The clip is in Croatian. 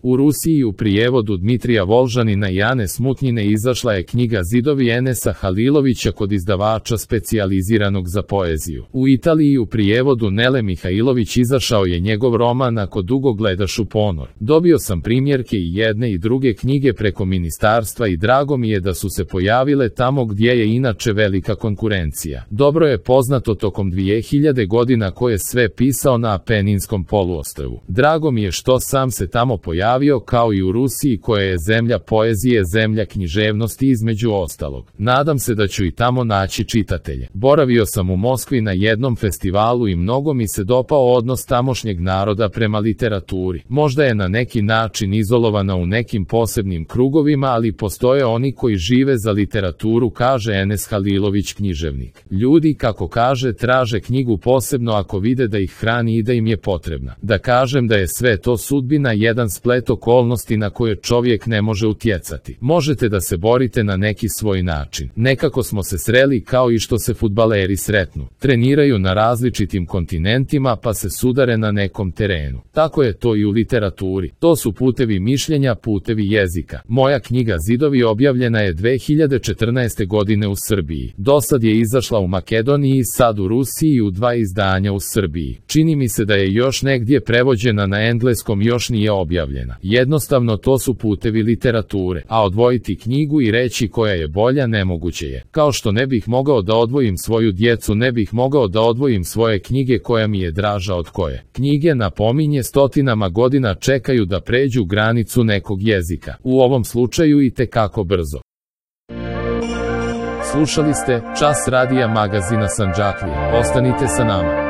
U Rusiji u prijevodu Dmitrija Volžanina i Ane Smutnjine izašla je knjiga Zidovi Enesa Halilovića kod izdavača specijaliziranog za poeziju. U Italiji u prijevodu Nele Mihajlović izašao je njegov roman Ako dugo gledaš u ponor. Dobio sam primjerke i jedne i druge knjige preko ministarstva i drago mi je da su se pojavile tamo gdje je inače velika konkurencija. Dobro je poznato tokom 2000 godina ko je sve pisao na Apeninskom poluostrvu. Drago mi je što sam se tamo pojavio, kao i u Rusiji koja je zemlja poezije, zemlja književnosti između ostalog. Nadam se da ću i tamo naći čitatelje. Boravio sam u Moskvi na jednom festivalu i mnogo mi se dopao odnos tamošnjeg naroda prema literaturi. Možda je na neki način izolovana u nekim posebnim krugovima, ali postoje oni koji žive za literaturu, kaže Enes Halilović, književnik. Ljudi, kako kaže, traže knjigu posebno ako vide da ih hrani i da im je potrebna. Da kažem da je sve to sudbina, jedan splet okolnosti na koje čovjek ne može utjecati. Možete da se borite na neki svoj način. Nekako smo se sreli kao i što se fudbaleri sretnu. Treniraju na različitim kontinentima pa se sudare na nekom terenu. Tako je to i u literaturi. To su putevi mišljenja, putevi jezika. Moja knjiga Zidovi objavljena je 2014. godine u Srbiji. Dosad je izašla u Makedoniji, sad u Rusiji i u 2 izdanja u Srbiji. Čini mi se da je još negdje prevođena na engleskom, još nije objavljena. Jednostavno to su putevi literature, a odvojiti knjigu i reći koja je bolja nemoguće je. Kao što ne bih mogao da odvojim svoju djecu, ne bih mogao da odvojim svoje knjige koja mi je draža od koje. Knjige, napominje, stotinama godina čekaju da pređu granicu nekog jezika. U ovom slučaju i tekako brzo. Slušali ste Čas radija magazina Sandžaklija. Ostanite sa nama.